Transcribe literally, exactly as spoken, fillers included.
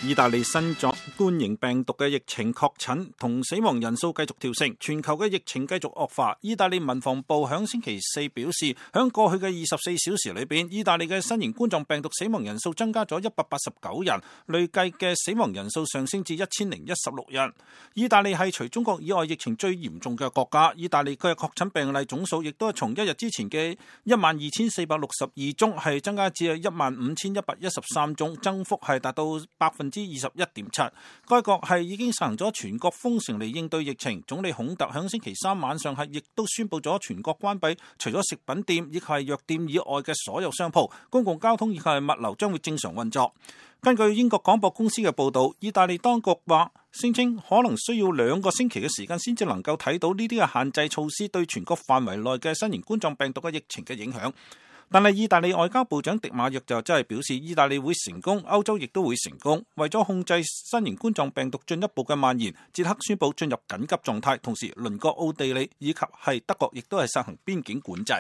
意大利新冠型病毒嘅疫情確診同死亡人數繼續跳升，全球嘅疫情繼續惡化。意大利民防部響星期四表示，響過去嘅二十四小時裏邊，意大利嘅新型冠狀病毒死亡人數增加咗一百八十九人，累計嘅死亡人數上升至一千零一十六人。意大利係除中國以外疫情最嚴重嘅國家，意大利嘅確診病例總數亦都係從一日之前嘅一萬二千四百六十二宗係增加至一萬五千一百一十三宗，增幅係達到百分之二十一點七。該國係已經實行咗全國封城嚟應對疫情。總理孔特響星期三晚上係亦都宣布咗全國關閉除咗食品店以及係藥店以外嘅所有商鋪，公共交通以及係物流將會正常運作。根據英國廣播公司嘅報導，意大利當局話聲稱可能需要兩個星期嘅時間先至能夠睇到呢啲嘅限制措施對全國範圍內嘅新型冠狀病毒嘅疫情嘅影響。但係意大利外交部長迪馬約就真係表示，意大利會成功，歐洲亦都會成功。為咗控制新型冠狀病毒進一步嘅蔓延，捷克宣布進入緊急狀態，同時鄰國奧地利以及係德國亦都係實行邊境管制。